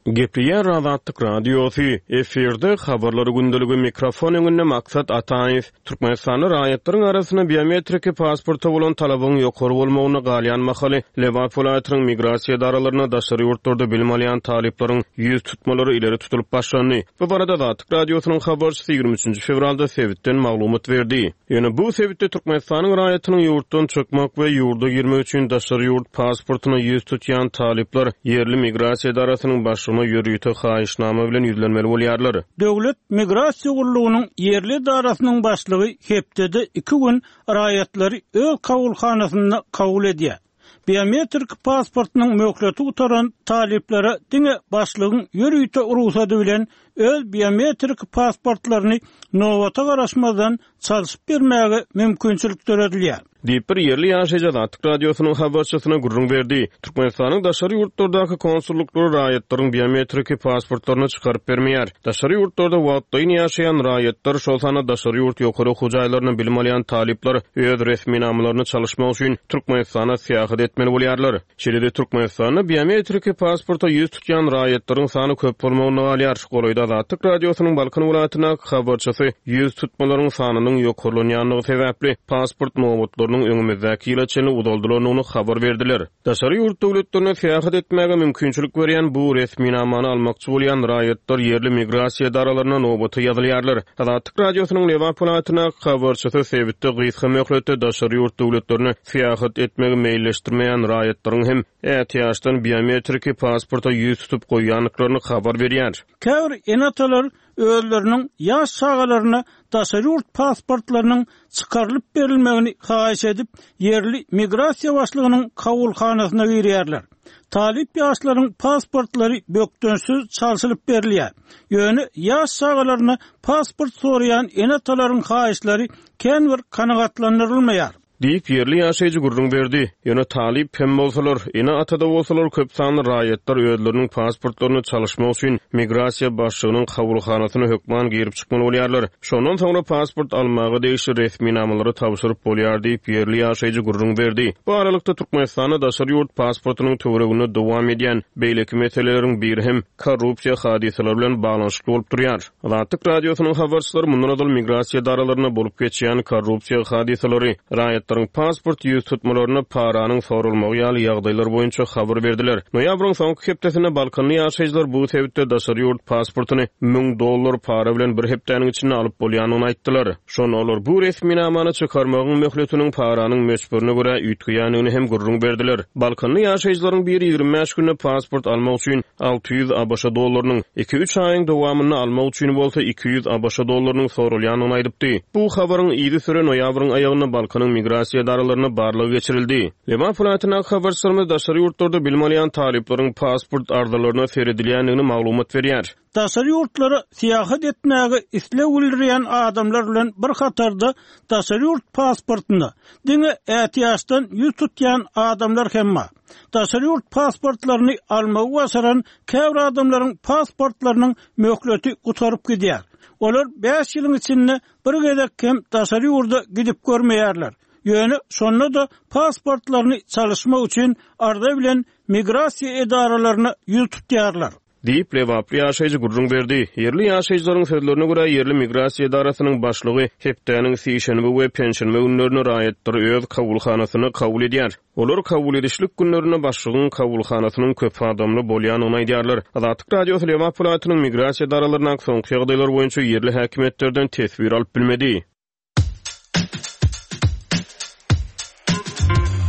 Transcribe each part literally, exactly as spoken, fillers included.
Gepleýär Azatlyk Radiosy, efirde Habarlar gündeligi, mikrofon öňünde Maksat Ataýew. Türkmenistanda raýatlaryň arasynda biometriki pasporta bolan talabyň ýokary bolmagynda galýan mahaly, Lebap welaýatynyň migrasiýa edaralarynda daşary ýurtlarda bilim alýan talyplaryň ýüz tutmalary ileri tutulyp başlandy. Bu barada Azatlyk Radiosynyň habarçysy ýigrimi üçünji fewralda sebitden maglumat berdi. Ýöne bu sebitde Türkmenistanyň raýatynyň ýurtdan çykmak we ýurda girmek üçin daşary ýurt pasportyna ýüz tutýan talyplar ýerli migrasiýa edarasynyň başlygyna ýörite haýyşnama bilen ýüzlenmeli bolýarlar. Döwlet migrasiýa gullugynyň ýerli edarasynyň başlygy hepdede iki gün raýatlary öz kabulhanasynda kabul edýär. Biometrik pasportynyň möhleti gutaran talyplara diňe başlygyň ýörite rugsady bilen öz biometrik pasportlaryny nobata garaşmazdan çalşyp bermäge mümkinçilik döredilýär. Diýip, bir ýerli ýaşaýjy Azatlyk Radiosynyň habarçysyna gürrüň berdi. Türkmenistanyň daşary ýurtlardaky konsullyklary raýatlaryň biometrik pasportlaryny çykaryp bermeýär. Daşary ýurtlarda wagtlaýyn ýaşaýan raýatlar, şol sanda daşary ýurt ýokary okuw jaýlarynda bilim alýan talyplar öz resminamalaryny çalyşmak üçin Türkmenistana syýahat etmeli bolýarlar. Şeýle-de Türkmenistanda biometrik pasporta ýüz tutýan raýatlaryň sany köp bolmagynda galýar. Golaýda Azatlyk Radiosynyň Balkan welaýatyndaky habarçysy ýüz tutmalaryň sanynyň ýokarlanýandygy sebäpli pasport nobatlarynyň öňümizdäki ýyla çenli uzaldylandygyny habar berdiler. Daşary ýurt döwletlerine syýahat etmäge mümkinçilik berýän bu resminamany almakçy bolýan raýatlar ýerli migrasiýa edaralaryna nobata ýazylýarlar. Azatlyk Radiosynyň Lebap welaýatyndaky habarçysy sebitde gysga möhletde daşary ýurt döwletlerine syýahat etmegi meýilleşdirmeýän raýatlaryň hem ätiýaçdan biometriki pasporta ýüz tutup goýýandyklaryny habar berýär. Käbir ene-atalar özleriniň ýaş çagalaryna daşary ýurt pasportlarynyň çykarylyp berilmegini haýyş edip, ýerli migrasiýa başlygynyň kabulhanasyna girýärler. Talyp ýaşlaryň pasportlary bökdençsiz çalşylyp berilýär. Ýöne ýaş çagalaryna pasport soraýan ene-atalaryň haýyşlary kän bir kanagatlandyrylmaýar. Diýip, ýerli ýaşaýjy gürrüň berdi. Ýöne talyp hem bolsalar, ene-ata-da bolsalar köp sanly raýatlar özleriniň pasportlaryny çalyşmak üçin migrasiýa başlygynyň kabulhanasyna hökman girip çykmaly bolýarlar. Şondan soňra pasport almaga degişli resminamalary tabşyryp bolýar diýip, ýerli ýaşaýjy gürrüň berdi. Bu aralykda Türkmenistanda daşary ýurt pasportynyň töwereginde dowam edýän beýleki meseleleriň biri hem korrupsiýa hadysalary bilen baglanyşykly bolup durýar. Azatlyk Radiosynyň habarçylary mundan ozal migrasiýa edaralarynda bolup geçýän korrupsiýa hadysalary, raýatlaryň pasport ýüz tutmalaryna paranyň sorulmagy ýaly ýagdaýlar boýunça habar berdiler. Noýabryň soňky hepdesinde Balkanly ýaşaýjylar bu sebitde daşary ýurt pasportyny müň dollar para bilen bir hepdäniň içinde alyp bolýandygyny aýtdylar. Şonda olar bu resminamany çykarmagyň möhletiniň paranyň möçberine görä üýtgeýändigini hem gürrüň berdiler. Balkanly ýaşaýjylaryň biri ýigrimi bäş günde pasport almak üçin alty ýüz ABŞ dollarynyň, iki-üç aýyň dowamynda almak üçin bolsa iki ýüz ABŞ dollarynyň soralýandygyny aýdypdy. Bu habaryň yzysüre noýabryň aýagynda Balkanyň migrasiýa edaralaryna barlag geçirildi. Lebap welaýatyndaky habarçylarymyz daşary ýurtlarda bilim alýan talyplaryň pasport arzalaryna seredilýändigini maglumat berýär. Daşary ýurtlara syýahat etmäge isleg bildirýän adamlar bilen bir hatarda daşary ýurt pasportyna diňe ätiýaçdan ýüz tutýan adamlar hem bar. Daşary ýurt pasportlaryny almagy başaran käbir adamlaryň pasportlarynyň möhleti gutaryp gidýär. Olar bäş ýylyň içinde bir gezek hem daşary ýurda gidip görmeýärler. Ýöne şonda-da pasportlaryny çalyşmak üçin arza bilen migrasiýa edaralaryna ýüz tutýarlar. Diýip, lebaply ýaşaýjy gürrüň berdi. Ýerli ýaşaýjylaryň sözlerine görä, ýerli migrasiýa edarasynyň başlygy hepdäniň sişenbe we penşenbe günlerinde raýatlary öz kabulhanasyna kabul edýär. Olar kabul edişlik günlerinde başlygyň kabulhanasynyň köp adamly bolýandygyny aýdýarlar. Azatlyk Radiosy Lebap welaýatynyň migrasiýa edaralaryndaky soňky ýagdaýlar boýunça ýerli häkimiýetlerden teswir alyp bilmedi.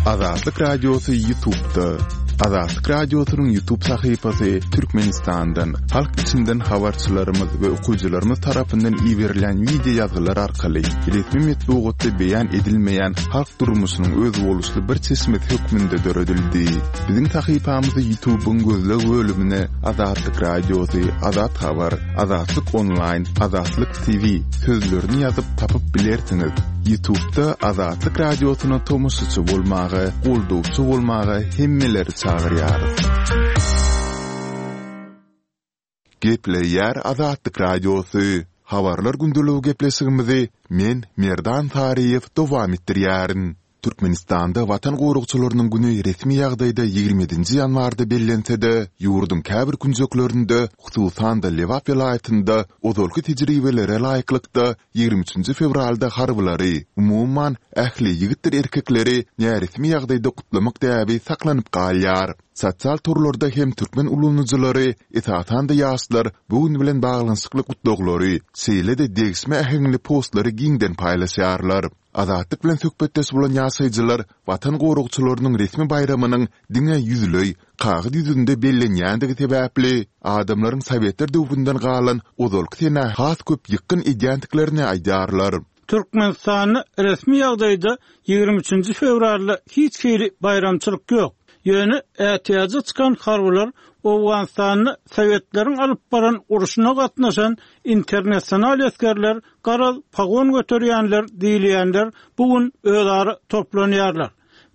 Azatlyk Radiosy YouTube'da. Azatlyk Radiosynyň YouTube sahypasy Türkmenistandan, halk içinden habarçylarymyz we okyjylarymyz tarapyndan iberilen wideo ýazgylar arkaly resmi metbugatda beýan edilmeýän halk durmuşynyň özboluşly bir çeşmesi hökmünde döredildi. Biziň sahypamyzy YouTube'yň gözleg bölümine Azatlyk Radiosy, Azat Habar, Azatlyk Online, Azatlyk T V sözlerini ýazyp tapyp bilersiňiz. YouTube'da Azatlyk Radiosyna tomaşaçy bolmaga, goldawçy bolmaga hemmeleri çagyrýarys. Gepleýär Azatlyk Radiosy. Habarlar gündeligi gepleşigimizi men Merdan Saryýew dowam etdirýärin. Türkmenistanda Watan goragçylarynyň güni resmi ýagdaýda ýigrimi ýedinji ýanwarda bellense-de, ýurduň käbir künjeklerinde, hususan-da Lebap welaýatynda ozalky tejribelere laýyklykda ýigrimi üçünji fewralda harbylary, umuman, ähli ýigitdir erkekleri näresmi ýagdaýda gutlamak däbi saklanyp galýar. Sosial torlarda hem türkmen ulanyjylary, esasan-da ýaşlar bu gün bilen baglanyşykly gutlaglary, şeýle-de degişme äheňli postlary giňden paýlaşýarlar. Azatlyk bilen söhbetdeş bolan ýaşaýjylar Watan goragçylarynyň resmi baýramynyň diňe ýüzleý, kagyz ýüzünde bellenýändigi sebäpli, adamlaryň sowetler döwründen galan ozalky senä has köp ýykgyn edýändiklerini aýdýarlar. Türkmenistanda resmi ýagdaýda ýigrimi üçünji fewralda hiç hili baýramçylyk ýok. Ýöne ätiýaja çykan harbylar Owganystanda sowetleriň alyp baran urşuna gatnaşan internasional esgerler, garaz, pagon göterýänler diýilýänler bu gün özara toplanýarlar.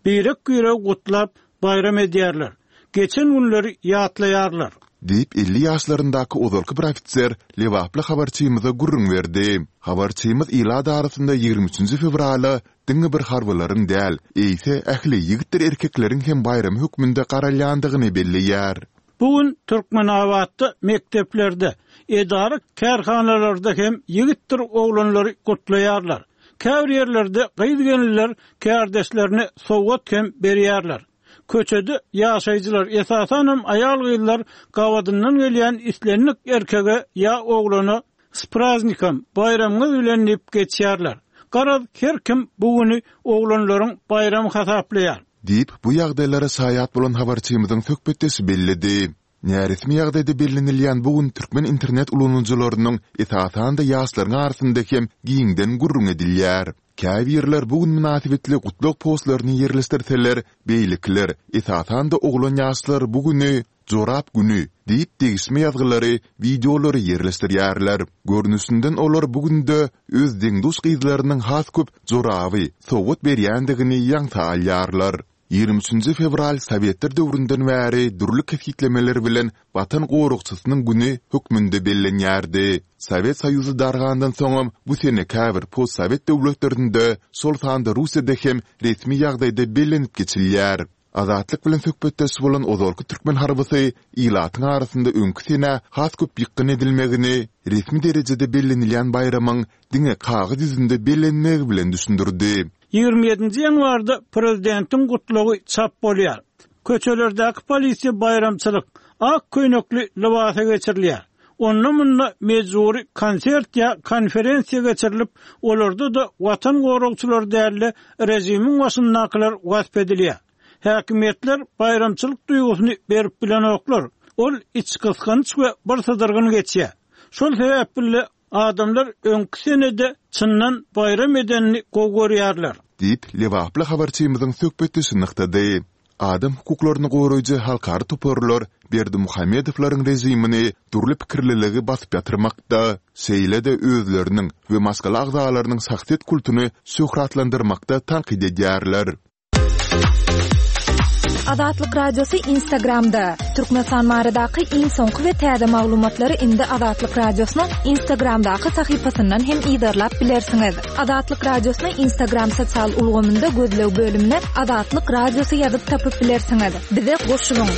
Birek-biregi gutlap, baýram edýärler. Geçen günleri ýatlaýarlar. Diýip, elli ýaşlaryndaky ozalky bir ofiser lebaply habarçymyza gürrüň berdi. Habarçymyz ilat arasynda ýigrimi üçünji fewrala diňe bir harbylaryň däl, eýse ähli ýigitdir erkekleriň hem baýramy hökmünde garalýandygyny belleýär. Bu gün Türkmenabatda mekdeplerde, edara-kärhanalarda hem ýigitdir oglanlary gutlaýarlar. Käbir ýerlerde gyz-gelinler kärdeşlerine sowgat hem berýärler. Köçede ýaşaýjylar, esasanam aýal-gyzlar gabadyndan gelýän islendik erkege ýa oglana S praznikom, baýramyňyz bilen diýip geçýärler. Garaz, her kim bu güni oglanlaryň baýramy hasaplaýar. Diýip, bu ýagdaýlara şaýat bolan habarçymyzyň söhbetdeşi belledi. Näresmi ýagdaýda bellenilýän bu gün türkmen internet ulanyjylarynyň, esasan-da ýaşlaryň arasynda hem giňden gürrüň edilýär. Käbirler bu gün mynasybetli gutlag postlaryny ýerleşdirseler, beýlekiler, esasan-da oglan ýaşlar bu güni Jorap güni diýip degişme ýazgylary, wideolary ýerleşdirýärler. Görnüşinden olar bu günde öz deň-duş gyzlarynyň has köp joraby sowgat berýändigini ýaňsa alýarlar. Ýigrimi üçünji fewral sowetler döwründen bäri dürli kesgitlemeler bilen Watan goragçysynyň güni hökmünde bellenýärdi. Sowet Soýuzy dargandan soňam bu sene käbir postsowet döwletlerinde, şol sanda Russiýada hem resmi ýagdaýda bellenip geçilýär. Azatlyk bilen söhbetdeş bolan ozalky türkmen harbysy ilatyň arasynda öňki senä has köp ýykgyn edilmegini resmi derejede bellenilýän baýramyň diňe kagyz ýüzünde bellenmegi bilen düşündirdi. Ýigrimi ýedinji ýanwarda prezidentiň gutlagy çap bolýar. Köçelerdäki polisiýa baýramçylyk, ak köýnekli lybasa geçirilýär. Onda-munda mejbury konsert ýa konferensiýa geçirilip, olarda-da Watan goragçylary däl-de, režimiň başyndakylar wasp edilýär. Häkimiýetler baýramçylyk duýgusyny berip bilenoklar. Ol içgysgynç we birsydyrgyn geçýär. Şol sebäpli adamlar öňki senede çyndan baýram edenini gowy görýärler. Diýip, lebaply habarçymyzyň söhbetdeşi nygtady. Adam hukuklaryny goraýjy halkara toparlar Berdimuhamedowlaryň režimini dürli pikirliligi basyp ýatyrmakda, şeýle-de özleriniň we maşgala agzalarynyň şahsyýet kultuny şöhratlandyrmakda tankyt edýärler. Azatlyk Radiosy Instagramda. Türkmenistan baradaky iň soňky we täze maglumatlary indi Azatlyk Radiosynyň Instagramdaky sahypasyndan hem yzarlap bilersiňiz. Azatlyk Radiosyny Instagram sosial ulgamynda gözleg bölümine Azatlyk Radiosy ýazyp tapyp bilersiňiz. Bize goşulyň!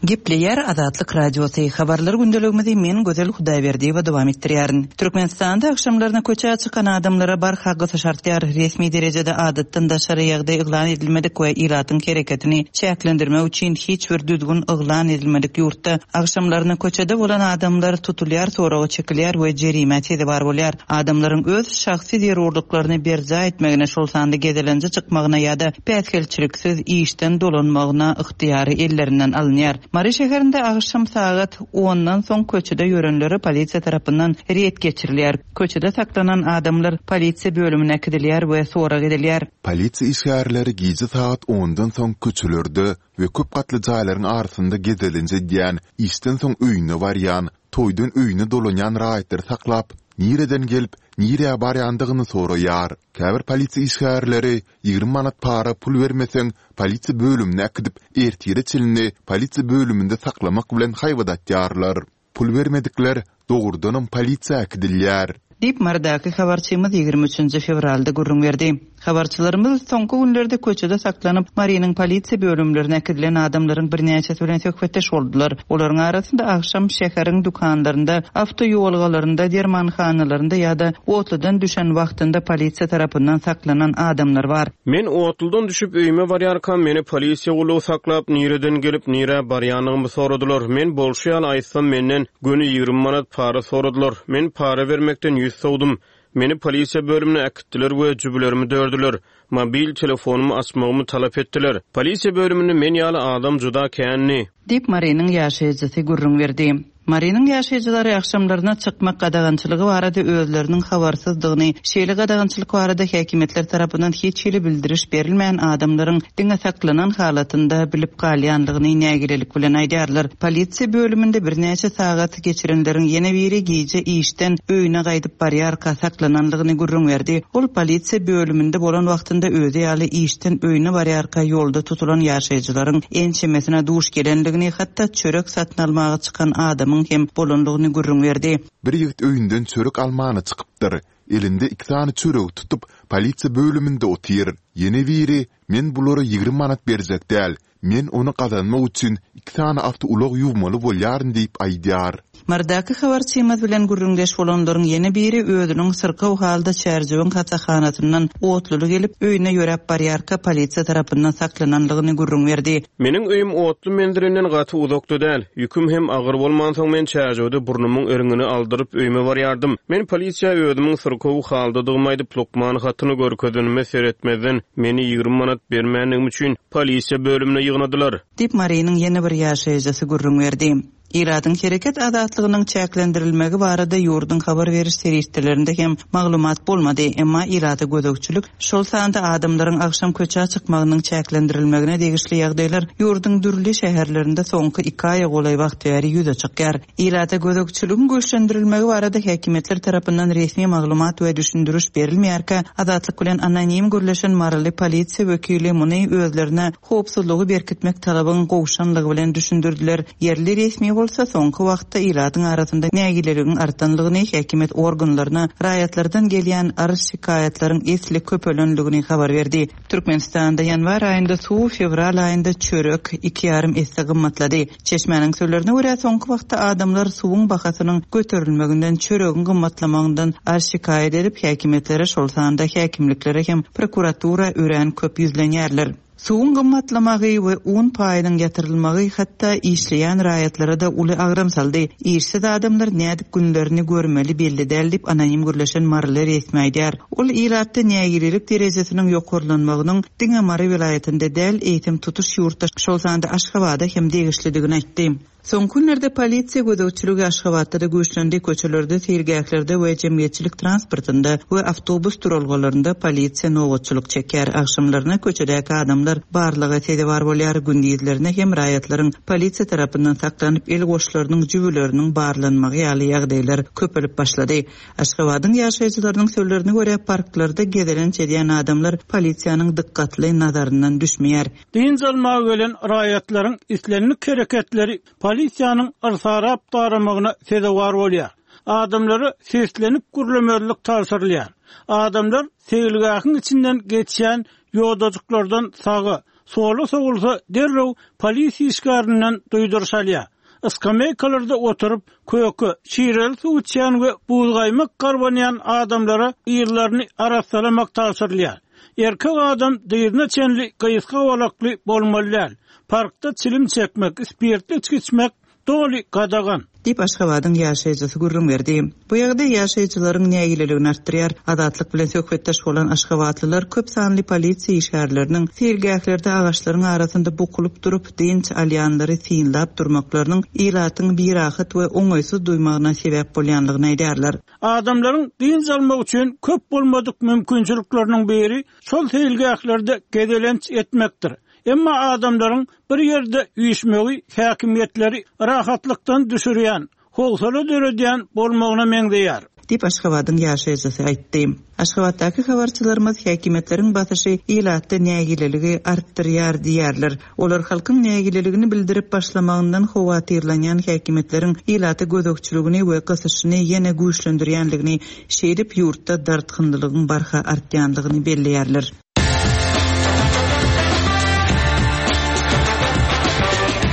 Gepleýär Azatlyk Radiosy. Habarlar gündeligimizi men Gözel Hudaýberdiýewa dowam etdirýärin. Türkmenistanda agşamlaryna köçä çykan adamlara barha gysyş artýar. Resmi derejede adatdan daşary ýagdaý yglan edilmedik we ilatyň hereketini çäklendirmek üçin hiç bir düzgün yglan edilmedik ýurtda agşamlaryna köçede bolan adamlar tutulýar, soraga çekilýär we jerimä sezewar bolýar. Adamlaryň öz şahsy zerurlyklaryny berjaý etmegine, şol sanda gezelenje çykmagyna ýa-da päsgelçiliksiz işden dolanmagyna ygtyýary ellerinden alynýar. Mary şäherinde agşam sagat ondan soň köçede ýörenlere polisiýa tarapyndan reýd geçirilýär. Köçede saklanan adamlar polisiýa bölümine äkidilýär we sorag edilýär. Polisiýa işgärleri gije sagat ondan soň köçelerde we köp gatly jaýlaryň arasynda gezelenç edýän, işden soň öýüne barýan, toýdan öýüne dolanýan raýatlary saklap, nireden gelip, nirä barýandygyny soraýar. Käbir polisiýa işgärleri ýigrimi manat para pul bermeseň, polisiýa bölümine äkidip, ertire çenli polisiýa bölüminde saklamak bilen haýbat atýarlar. Pul bermedikler dogrudanam polisiýa äkidilýär. Diýip, Marydaky habarçymyz ýigrimi üçünji fewralda gürrüň berdi. Habarçylarymyz soňky günlerde köçede saklanyp, Marynyň polisiýa bölümlerine äkidilen adamlaryň birnäçesi bilen söhbetdeş boldular. Olaryň arasynda agşam şäheriň dükanlarynda, awtoýolgalarynda, dermanhanalarynda ýa-da otludan düşen wagtynda polisiýa tarapyndan saklanan adamlar bar. Men otludan düşüp öýüme barýarkam meni polisiýa gullugy saklap, nireden gelip, nirä barýanymy soradylar. Men bolşy ýaly aýtsam menden göni ýigrimi manat para soradylar. Men para bermekden ýüz sowdum. Meni polisiýa bölümine äkitdiler we jübülerimi dördüler. Mobil telefonymy açmagymy talap etdiler. Polisiýa bölüminde men ýaly adam juda kändi. Diýip Marynyň ýaşaýjysy gürrüň berdi. Marynyň ýaşaýjylary agşamlaryna çykmak gadagançylygy barada özleriniň habarsyzdygyny, şeýle gadagançylyk barada häkimiýetler tarapyndan hiç hili bildiriş berilmän adamlaryň diňe saklanan halatynda bilip galýanlygyny nägilelik bilen aýdýarlar. Polisiýa bölüminde birnäçe sagat geçirenleriň ýene biri gije işden öýüne gaýdyp barýarka saklananlygyny gürrüň berdi. Ol polisiýa bölüminde bolan wagtynda özi ýaly işden öýüne barýarka ýolda tutulan ýaşaýjylaryň ençemesine duş gelenligini, hatda çörek satyn almaga çykan adamyň hem bolanlygyny gürrüň berdi. Bir ýigit öýünden çörek almana çykypdyr. Elinde iki sany çöregi tutup, polisiýa bölüminde otyr. Ýene biri, men bulara ýigrimi manat berjek däl, men ony gazanmak üçin iki sany awtoulag ýuwmaly bolýaryn diýip aýdýar. Marydaky habarçymyz bilen gürrüňdeş bolanlaryň ýene biri özüniň syrkaw halda Çärjewiň hassahanasyndan otluly gelip, öýüne ýöräp barýarka polisiýa tarapyndan saklananlygyny gürrüň berdi. Meniň öýüm otly menzilinden gaty uzakda däl. Ýüküm hem agyr bolmansoň men Çärjewde burnumyň eriňini aldyryp öýüme barýardym. Men polisiýa özümiň syrkaw haldadygymy aýdyp lukman hatyny görkezenime seretmezden meni ýigrimi manat bermänligim üçin polisiýa bölümine ýygnadylar. Diýip Marynyň ýene bir ýaşaýjysy gürrüň berdi. Ilatyň hereket azatlygynyň çäklendirilmegi barada ýurduň habar beriş serişdelerinde hem maglumat bolmady, emma ilata gözegçilik, şol sanda adamlaryň agşam köçä çykmagynyň çäklendirilmegine degişli ýagdaýlar ýurduň dürli şäherlerinde soňky iki aýa golaý wagt bäri ýüze çykýar. Ilata gözegçiligiň güýçlendirilmegi barada häkimiýetler tarapyndan resmi maglumat we düşündiriş berilmeýärkä, Azatlyk bilen anonim gürleşen Maryly polisiýa wekili muny özlerine howpsuzlygy berkitmek talabyň gowşanlygy bilen düşündirdiler. Ýerli resmi bolsa soňky wagtda ilatyň arasynda nägileligiň artanlygyny, häkimiýet organlaryna raýatlardan gelýän arz şikaýatlaryň esli köpelenligini habar berdi. Türkmenistanda ýanwar aýynda suw, fewral aýynda çörek iki ýarym esse gymmatlady. Çeşmäniň sözlerine görä soňky wagtda adamlar suwuň bahasynyň göterilmeginden, çöregiň gymmatlamagyndan arz şikaýat edip, häkimiýetlere, şol sanda häkimliklere hem prokuratura örän köp ýüzlenýärler. Suwuň gymmatlamagy we un paýynyň ýatyrylmagy hatda işleýän raýatlara da uly agram saldy. Işsiz adamlar nädip günlerini görmeli belli däl diýip anonim gürleşen Maryly resmi aýdýar. Ol ilatda nägilelik derejesiniň ýokarlanmagynyň diňe Mary welaýatynda däl, eýsem tutuş ýurtda, şol sanda Aşgabada hem degişlidigini aýtdy. Soňky günlerde polisiýa gözegçiligi Aşgabatda da güýçlendi, köçelerde, seýilgählerde we jemgyýetçilik transportynda we awtobus duralgalarynda polisiýa nobatçylyk çekýär. Agşamlaryna köçedäki adamlar barlyga sezewar bolýar, gündizlerine hem raýatlaryň polisiýa tarapyndan saklanyp el goşlarynyň jübüleriniň barlanmagy ýaly ýagdaýlar köpelip başlady. Aşgabadyň ýaşaýjylarynyň sözlerine görä parklarda gezelenç edýän adamlar polisiýanyň dikkatli nazaryndan düşmeýär. Dynç almaga gelen raýatlaryň islendik hereketleri polisiýanyň yrsarap daramagyna sezewar bolýar. Adamlara seslenip gürlemezlik tabşyrylýar. Adamlar seýilgähiň içinden geçýän ýodajyklardan saga, sola sowulsa derrew polisiýa işgärinden duýduryş alýar. Iskameykalarda oturyp köke, şireli suw içýän we buzgaýmak garbanýan adamlara ýerlerini arassalamak tabşyrylýar. Erkek adam dyzyna çenli gysga bolakly bolmaly däl. Parkda çilim çekmek, spirtli içki içmek doly gadagan. Diýip Aşgabadyň ýaşaýjysy gürrüň berdi. Bu ýagdaý ýaşaýjylaryň nägileligini artdyrýar. Azatlyk bilen söhbetdeş bolan aşgabatlylar köp sanly polisiýa işgärleriniň seýilgählerde agaçlaryň arasynda bukulyp durup dynç alýanlary synlap durmaklarynyň ilatyň birahat we oňaýsyz duýmagyna sebäp bolýanlygyny aýdýarlar. Adamlaryň dynç almak üçin köp bolmadyk mümkinçilikleriniň biri şol seýilgählerde gezelenç etmekdir. Emma adamlaryň bir ýerde üýşmegi häkimiýetleri rahatlykdan düşürýän, howsala döredýän bolmagyna meňzeýär. diýip Aşgabadyň ýaşaýjysy aýtdy. Aşgabatdaky habarçylarymyz häkimiýetleriň basyşy ilatda nägileligi artdyrýar diýýärler. Olar halkyň nägileligini bildirip başlamagyndan howatyrlanýan häkimiýetleriň ilata gözegçiligini we gysyşyny ýene güýçlendirýänligini, şeýdip ýurtda dartgynlylygyň barha artýanlygyny belleýärler.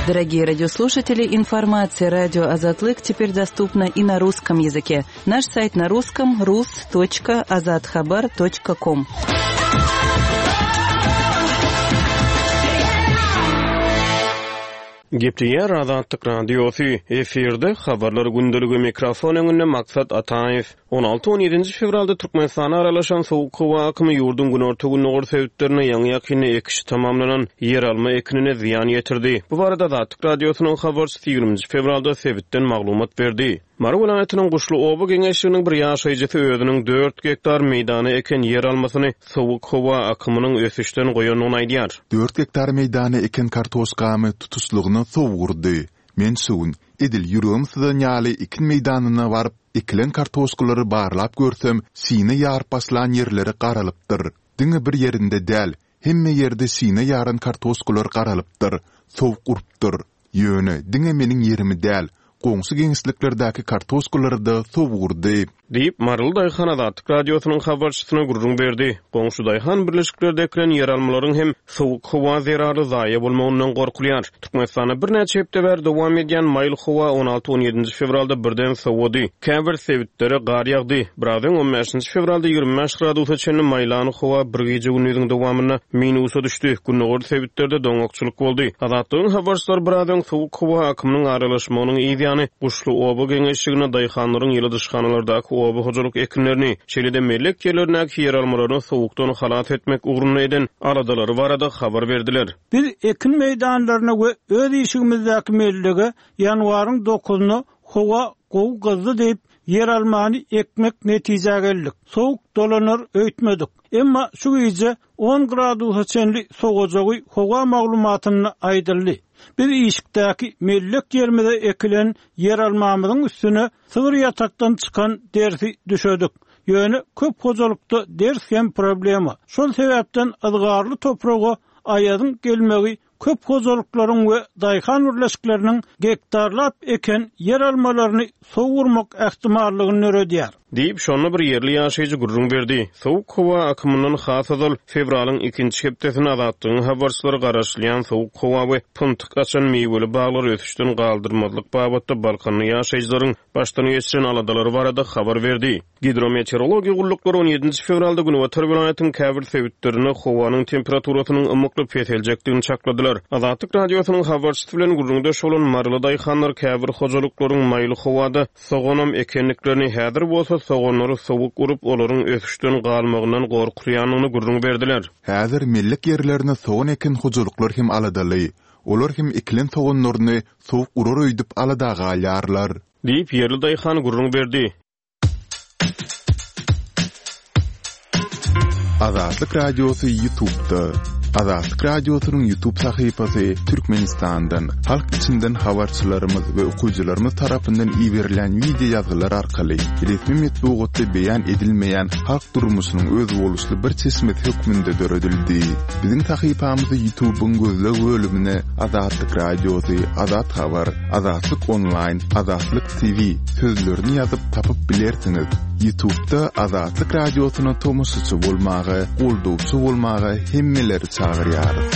Дорогие радиослушатели, информация радио Азатлык теперь доступна и на русском языке. Наш сайт на русском rus.azathabar.com. Gepleýär Azatlyk Radiosy, efirde habarlar gündeligi mikrofon öňünde Maksat Ataýew. on alty on ýedinji fewralda Türkmenistana aralaşan sowuk howa akymy ýurduň günorta-gündogar sebitlerine ýaňy ýakynda ekiş tamamlanan ýeralma ekinine zyýan ýetirdi. Bu barada Azatlyk Radiosynyň habarçysy ýigriminji fewralda sebitden maglumat berdi. Mary welaýatynyň Guşly oba geňeşliginiň bir ýaşaýjysy özüniň dört gektar meýdana eken ýeralmasyny sowuk howa akymynyň ösüşden goýandygyny aýdýar. Dört gektar meýdana eken kartoşkamy tutuşlygyna sowuk urdy. Men şu gün edil ýüregim syzan ýaly ekin meýdanyna baryp, ekilen kartoşkalary barlap görsem, şine ýaryp başlan ýerleri garalypdyr. Diňe bir ýerinde däl, hemme ýerde şine ýaran kartoşkalar garalypdyr, sowuk urupdyr. Ýöne diňe meniň ýerimi däl, goňşy geňeşliklerdäki kartoşkalary da sowuk urdy. Diýip, Maryly Daýhan Azatlyk Radiosynyň habarçysyna gürrüň berdi. Goňşy Daýhan birleşiklerde ekilen ýeralmalaryň hem sowuk howa zerarly zaýa bolmagyndan gorkulýar. Türkmenistanda birnäçe hepde bäri dowam edýän maýyl howa on alty on ýedinji fewralda birden sowady. Käbir sebitlere gar ýagdy. Biraz öň on bäşinji fewralda ýigrimi bäş gradusa çenli maýlan howa bir gije gündüziň dowamynda minusa düşdi. Gündogar sebitlerde doňakçylyk boldy. Azatlygyň habarçylary biraz öň sowuk howa akymynyň aralaşmagynyň ýany Guşly oba geňeşligine daýhanlaryň ýyladyşhanalardaky oba hojalyk ekinlerini, şeýle-de mellek ýerlerindäki ýeralmalaryny sowukdan halas etmek ugrunda eden aladalary barada habar berdiler. Biz ekin meýdanlaryna we öz işigimizdäki mellege ýanwaryň dokuzyna howa gowy gyzdy diýip ýeralmany ekmek netijä geldik. Sowuk dolanar öýtmedik. Emma şu gije on gradusa çenli sowajagy howa maglumatynda aýdyldy. Biz işikdäki mellek ýerimize ekilen ýeralmamyzyň üstüne sygyr ýatakdan çykan dersi düşedik. Ýöne köp hojalykda ders hem problema. Şol sebäpden yzgarly topraga aýadyň gelmegi köp hojalyklaryň we daýhan birleşikleriniň gektarlap eken ýeralmalaryny sowurmak ähtimallygyny döredýär. Diýip, şonda bir ýerli ýaşaýjy gürrüň berdi. Sowuk howa akymyndan has ozal fewralyň ikinji hepdesinde Azatlygyň habarçylary garaşylýan sowuk howa we pyntyk açan miweli baglary ösüşden galdyrmazlyk babatda Balkanly ýaşaýjylaryň başdan geçiren aladalary barada habar berdi. Gidrometeorologiýa gulluklary on ýedinji fewralda Günbatar welaýatyň käbir sebitlerinde howanyň temperaturasynyň ymykly peseljekdigini çakladylar. Azatlyk Radiosynyň habarçysy bilen gürrüňdeş bolan Maryly daýhanlar käbir hojalyklaryň maýyl howada soganam ekenliklerini häzir bolsa soganlary sowuk urup, olaryň ösüşden galmagyndan gorkulýandygyny gürrüň berdiler. Häzir mellek ýerlerine sogan eken hojalyklar hem aladaly. Olar hem ekilen soganlaryny sowuk urar öýdüp alada galýarlar. Diýip ýerli daýhan gürrüň berdi. Azatlyk Radiosy YouTube'da. Azatlyk Radiosynyň YouTube sahypasy Türkmenistandan, halk içinden habarçylarymyz we okyjylarymyz tarapyndan iberilen video ýazgylar arkaly resmi metbugatda beýan edilmeýän halk durmuşynyň özboluşly bir çeşmesi hökmünde döredildi. Biziň sahypamyzy YouTube'yň gözleg bölümine Azatlyk Radiosy, Azat Habar, Azatlyk Online, Azatlyk T V sözlerini ýazyp tapyp bilersiňiz. YouTube'da Azatlyk Radiosyna tomaşaçy bolmaga, goldawçy bolmaga hemmeleri çagyrýarys.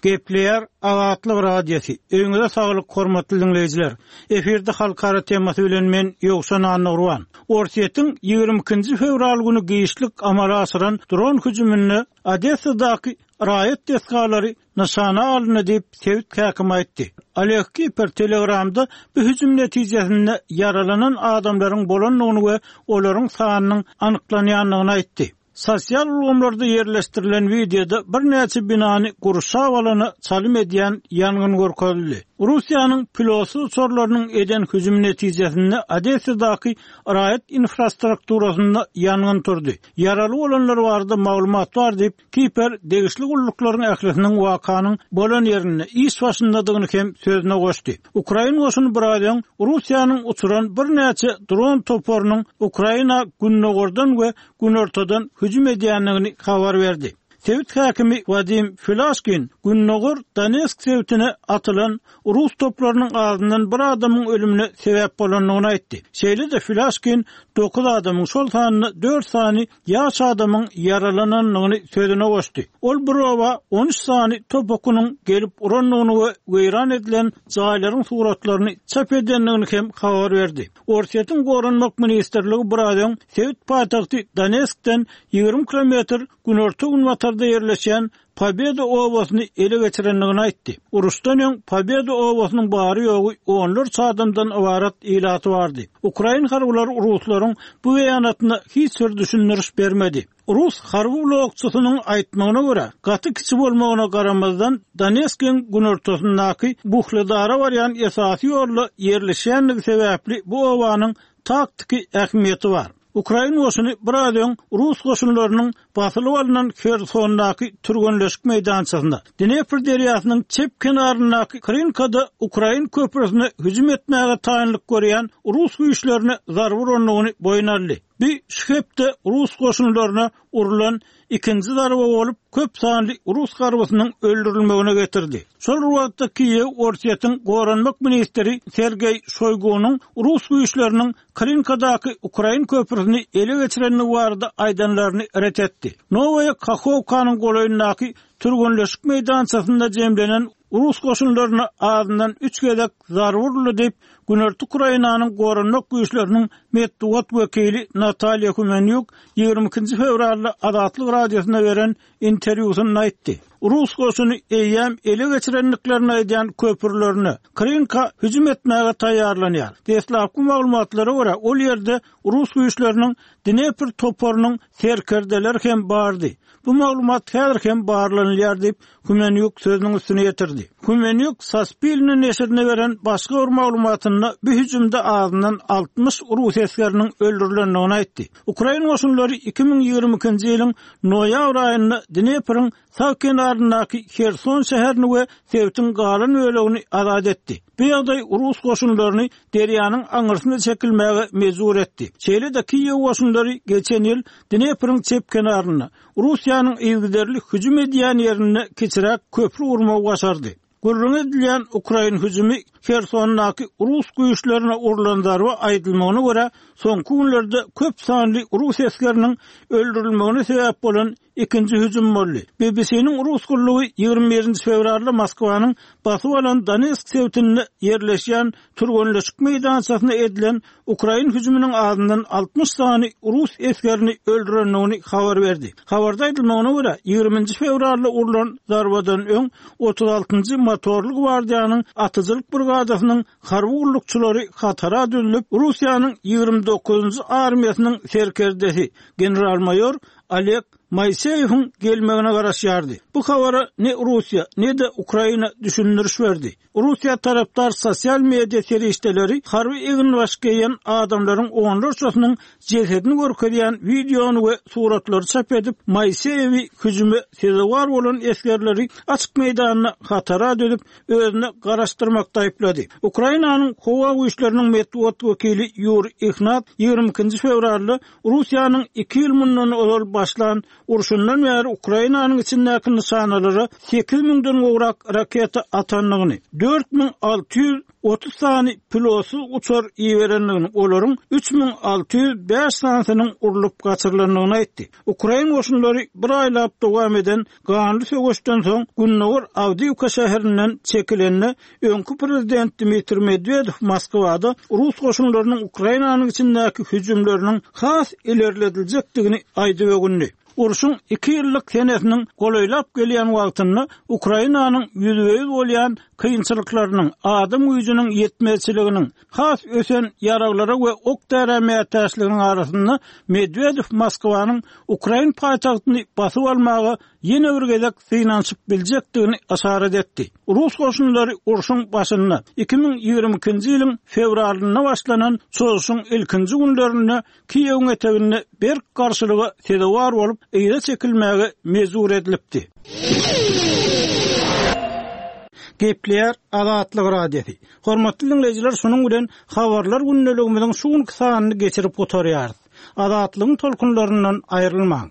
Gepleýär Azatlyk Radiosy. Öýüňize saglyk hormatly dinleýjiler. Efirde halkara temasy bilen men Ýowşan Annurwan. Orsýetiň ýigrimi ikinji fewral güni giçlik amala aşyran dron hüjüminde Odessadaky raýat desgalary nyşana alyndy diýip sebit häkimi aýtdy. Oleg Kiper Telegramda bu hüjüm netijesinde ýaralanan adamlaryň bolandygyny we olaryň sanynyň anyklanýandygyny aýtdy. Sosial ulgamlarda ýerleşdirilen wideoda birnäçe binany gurşap alana çalym edýän ýangyn görkezildi. Russiýanyň pilotsyz uçarlarynyň eden hüjümi netijesinde Odessadaky raýat infrastrukturasynda ýangyn turdy. Ýaraly bolanlar barada maglumat bar diýip, Kiper degişli gulluklaryň ählisiniň wakanyň bolan ýerinde iş başyndadygyny hem sözüne goşdy. Ukrain goşuny biraz öň Russiýanyň uçuran birnäçe dron toparynyň Ukraina gündogardan we günortadan hüjüm edýändigini habar berdi. Sebit häkimi Wadim Filaşkin gündogar Donetsk sebitine atylan Rus toplarynyň azyndan bir adamyň ölümine sebäp bolandygyny aýtdy. Şeýle-de Filaşkin dokuz adamyň, şol sanda dört sany ýaş adamyň ýaralanandygyny sözüne goşdy. Ol bir oba on üç sany top okunyň gelip urandygyny we weýran edilen jaýlaryň suratlaryny çap edendigini hem habar berdi. Orsýetiň Goranmak ministrligi biraz öň sebit paýtagty Donetskden ýigrimi kilometr günorta günbatarda ýerleşýän Pobeda obasyny ele geçirendigini aýtdy. Uruşdan öň Pobeda obasynyň bary ýogy onlarça adamdan ybarat ilaty bardy. Ukrain harbylary ruslaryň bu beýanatyna hiç bir düşündiriş bermedi. Rus harby blokçysynyň aýtmagyna görä, gaty kiçi bolmagyna garamazdan Donetskiň günortasyndaky Buhledara barýan esasy ýolda ýerleşýändigi sebäpli bu obanyň taktiki ähmiýeti bar. Ukrain goşuny biraz öň Rus goşunlarynyň basylyp alynan Hersondaky türgenleşik meýdançasynda, Dnepr derýasynyň çep kenaryndaky Krinkada Ukrain köprüsine hüjüm etmäge taýynlyk görýän Rus güýçlerine zarba urandygyny boýun aldy. Bu şu hepde Rus goşunlaryna urulan ikinji zarba bolup, köp sanly Rus harbysynyň öldürilmegine getirdi. Şol bir wagtda Kiýew Orsýetiň Goranmak ministri Sergeý Şoýgunyň Rus güýçleriniň Krinkadaky Ukrain köprüsini ele geçirendigi barada aýdanlaryny ret etdi. Nowaýa Kahovkanyň golaýyndaky türgenleşik meýdançasynda jemlenen Rus goşunlaryna azyndan üç gezek zarba uruldy diýip, Günorta Ukrainanyň Goranmak güýçleriniň metbugat wekili Natalýa Humenýuk ýigrimi ikinji fewralda Azatlyk radiosyna beren interwýusynda aýtdy. Rus goşuny eýýäm ele geçirendiklerini aýdýan köprülerine Krinka hüjüm etmäge taýýarlanýar. Deslapky maglumatlara görä, ol ýerde Rus güýçleriniň Dnepr toparynyň serkerdeleri hem bardy. Bu maglumat häzir hem barlanylýar diýip, Humenýuk sözüniň üstüne ýetirdi. Humenýuk Saspilne neşirine beren başga bir maglumatynda bu hüjümde azyndan altmyş Rus esgeriniň öldürilendigini aýtdy. Ukrain goşunlary iki müň ýigrimi ikinji ýylyň noýabr aýynda Dnepriň sag kenaryndaky Herson şäherini we sebitiň galan bölegini azat etdi. Bu ýagdaý Rus goşunlaryny derýanyň aňyrsyna çekilmäge mejbur etdi. Şeýle-de Kiýew goşunlary geçen ýyl Dnepriň çep kenarynda Russiýanyň yzygiderli hüjüm edýän ýerinde kiçiräk köprü gurmagy başardy. Gürrüň edilýän Ukrain hüjümi Hersondaky Rus güýçlerine urulan zarba aýdylmagyna görä, soňky günlerde köp sanly Rus esgeriniň öldürilmegine sebäp bolan ikinji hüjüm boldy. B B C-niň Rus gullugy ýigrimi birinji fewralda Moskwanyň basyp alan Donetsk sebitinde ýerleşýän türgenleşik meýdançasyna edilen Ukrain hüjüminiň azyndan altmyş sany Rus esgerini öldürendigini habar berdi. Habarda aýdylmagyna görä, ýigriminji fewralda urulan zarbadan öň otuz altynjy motorly gwardiýanyň atyjylyk brigadasynyň harby gullukçylary hatara düzülip, Russiýanyň ýigrimi dokuzynjy armiýasynyň serkerdesi general-maýor Oleg Moiseýewiň gelmegine garaşýardy. Bu habara ne Russiýa, ne-de Ukraina düşündiriş berdi. Russiýa tarapdar sosial media serişdeleri harby eginbaş geýen adamlaryň onlarçasynyň jesedini görkezýän wideony we suratlary çap edip, Moiseýewi hüjüme sezewar bolan esgerleri açyk meýdanda hatara düzüp, özüne garaşdyrmakda aýyplady. Ukrainanyň howa güýçleriniň metbugat wekili Ýuri Ihnat ýigrimi ikinji fewralda Russiýanyň iki ýyl mundan ozal başlan urşundan bäri Ukrainanyň içindäki nyşanalara sekiz müňden gowrak raketa atandygyny, dört müň alty ýüz otuz sany pilotsyz uçar iberendigini, olaryň üç müň alty ýüz bäş sanysynyň urlup gaçyrylandygyny aýtdy. Ukrain goşunlary bir aýlap dowam eden ganly söweşden soň Gündogar Awdiýewka şäherinden çekilende öňki prezident Dmitriý Medwedew Moskwada Rus goşunlarynyň Ukrainanyň içindäki hüjümleriniň has ilerlediljekdigini aýdyp öwündi. Urşuň iki ýyllyk senesiniň golaýlap gelýän wagtynda Ukrainanyň ýüzbe-ýüz bolýan kynçylyklarynyň, adam güýjüniň ýetmezçiliginiň, has ösen ýaraglara we ok-därä mätäçliginiň arasynda Medwedew Moskwanyň ukrain paýtagtyny basyp almaga ýene bir gezek synanyşyp biljekdigini yşarat etdi. Rus goşunlary urşuň başynda iki müň ýigrimi ikinji ýylyň fewralynda başlanan çozuşyň ilkinji günlerinde Kiýewiň eteginde berk garşylyga sezewar bolup, yza çekilmäge mejbur edilipdi. Gepleýär Azatlyk Radiosy. Hormatly diňleýjiler, şunuň bilen habarlar gündeligimiziň şu günki sanyny geçirip gutarýarys. Azatlygyň tolkunlaryndan aýrylmaň.